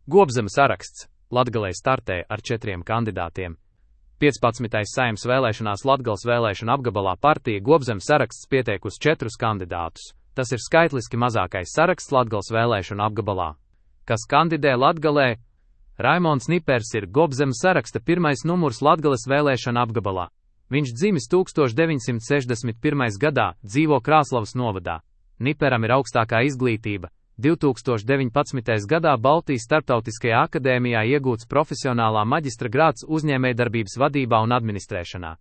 Gobzemes saraksts Latgalē startē ar 4 kandidātiem. 15. Saeimas vēlēšanās Latgales vēlēšanu apgabalā partija Gobzemes saraksts pieteikusi 4 kandidātus. Tas ir skaitliski mazākais saraksts Latgales vēlēšanu apgabalā. Kas kandidē Latgalē? Raimonds Nipers ir Gobzemes saraksta pirmais numurs Latgales vēlēšanu apgabalā. Viņš dzimis 1961. gadā, dzīvo Krāslavas novadā. Niperam ir augstākā izglītība. 2019. gadā Baltijas Starptautiskajā akadēmijā iegūts profesionālā maģistra grāds uzņēmējdarbības vadībā un administrēšanā.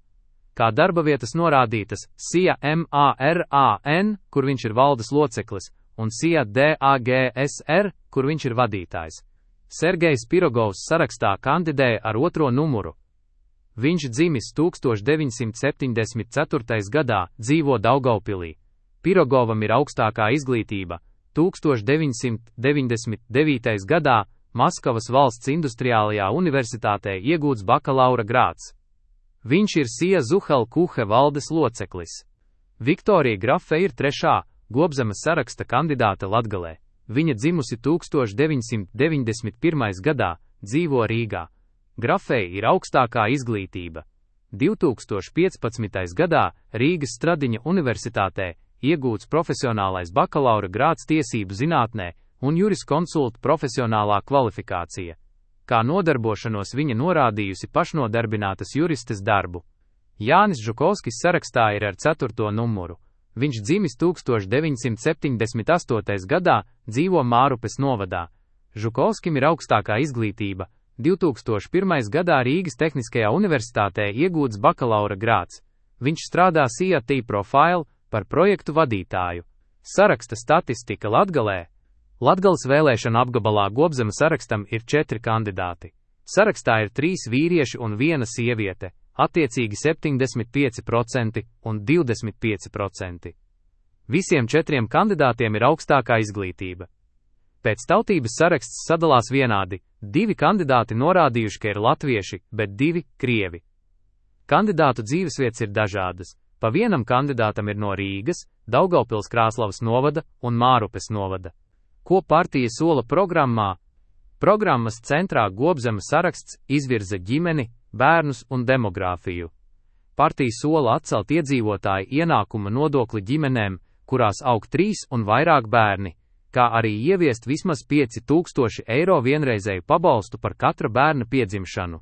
Kā darba vietas norādītas SIA MARAN, kur viņš ir valdes loceklis, un SIA DAGSR, kur viņš ir vadītājs. Sergejs Pirogovs sarakstā kandidēja ar 2. numuru. Viņš dzimis 1974. gadā, dzīvo Daugavpilī. Pirogovam ir augstākā izglītība. 1999. gadā Maskavas valsts industriālajā universitātē iegūts bakalaura grāds. Viņš ir SIA Zuhal Kuhe valdes loceklis. Viktorija Grafe ir 3. Gobzemes saraksta kandidāte Latgalē. Viņa dzimusi 1991. gadā, dzīvo Rīgā. Grafei ir augstākā izglītība. 2015. gadā Rīgas Stradiņa universitātē iegūts profesionālais bakalaura grāds tiesību zinātnē un juriskonsulta profesionālā kvalifikācija. Kā nodarbošanos viņa norādījusi pašnodarbinātas juristes darbu. Jānis Žukovskis sarakstā ir ar 4. numuru. Viņš dzimis 1978. gadā, dzīvo Mārupes novadā. Žukovskim ir augstākā izglītība. 2001. gadā Rīgas Tehniskajā universitātē iegūts bakalaura grāds. Viņš strādā SIA T-Profile par projektu vadītāju. Saraksta statistika Latgalē. Latgales vēlēšana apgabalā Gobzemes sarakstam ir 4 kandidāti. Sarakstā ir 3 vīrieši un 1 sieviete, attiecīgi 75% un 25%. Visiem 4 kandidātiem ir augstākā izglītība. Pēc tautības saraksts sadalās vienādi. 2 kandidāti norādījuši, ka ir latvieši, bet 2 krievi. Kandidātu dzīvesvietas ir dažādas. Pa vienam kandidātam ir no Rīgas, Daugavpils Krāslavas novada un Mārupes novada. Ko partija sola programmā? Programmas centrā Gobzemes saraksts izvirza ģimeni, bērnus un demogrāfiju. Partija sola atcelt iedzīvotāju ienākuma nodokli ģimenēm, kurās aug 3 un vairāk bērni, kā arī ieviest vismaz 5000 eiro vienreizēju pabalstu par katra bērna piedzimšanu.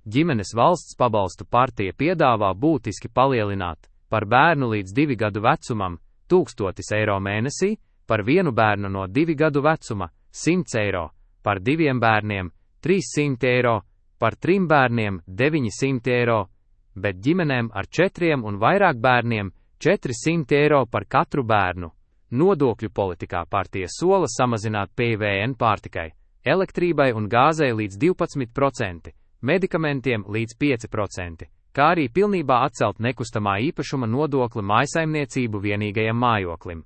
Ģimenes valsts pabalstu partija piedāvā būtiski palielināt. Par bērnu līdz 2 gadu vecumam 1000 eiro mēnesī, par 1 bērnu no 2 gadu vecuma 100 eiro, par 2 bērniem 300 eiro, par 3 bērniem 900 eiro, bet ģimenēm ar 4 un vairāk bērniem 400 eiro par katru bērnu. Nodokļu politikā partija sola samazināt PVN pārtikai, elektrībai un gāzei līdz 12%, medikamentiem līdz 5%. Kā arī pilnībā atcelt nekustamā īpašuma nodokli mājsaimniecību vienīgajam mājoklim.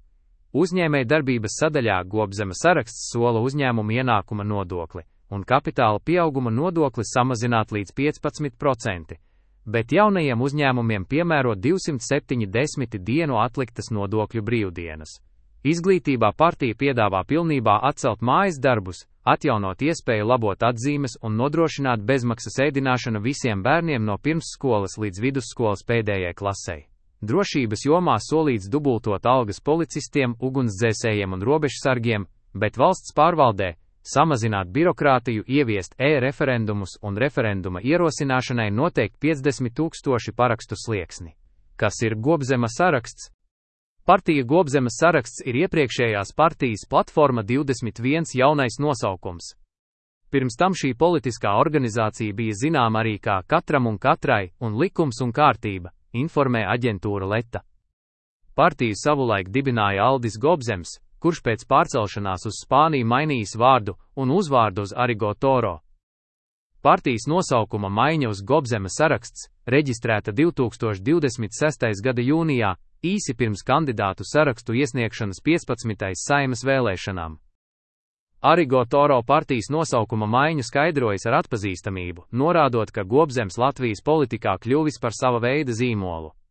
Uzņēmējdarbības sadaļā Gobzemes saraksts sola uzņēmumu ienākuma nodokli un kapitāla pieauguma nodokli samazināt līdz 15%, bet jaunajiem uzņēmumiem piemēro 270 dienu atliktas nodokļu brīvdienas. Izglītībā partija piedāvā pilnībā atcelt mājas darbus, atjaunot iespēju labot atzīmes un nodrošināt bezmaksas ēdināšanu visiem bērniem no pirmsskolas līdz vidusskolas pēdējai klasei. Drošības jomā solīts dubultot algas policistiem, ugunsdzēsējiem un robežsargiem, bet valsts pārvaldē samazināt birokrātiju, ieviest e-referendumus un referenduma ierosināšanai noteikt 50 000 parakstu slieksni. Kas ir Gobzemes saraksts? Partija Gobzemes saraksts ir iepriekšējās partijas platforma 21 jaunais nosaukums. Pirms tam šī politiskā organizācija bija zināma arī kā Katram un katrai un Likums un kārtība, informē aģentūra Leta. Partiju savulaik dibināja Aldis Gobzems, kurš pēc pārcelšanās uz Spāniju mainījis vārdu un uzvārdu uz Arigo Toro. Partijas nosaukuma maiņa uz Gobzemes saraksts reģistrēta 2026. gada jūnijā, īsi pirms kandidātu sarakstu iesniegšanas 15. Saeimas vēlēšanām. Arigo Toro partijas nosaukuma maiņu skaidrojas ar atpazīstamību, norādot, ka Gobzems Latvijas politikā kļuvis par sava veida zīmolu.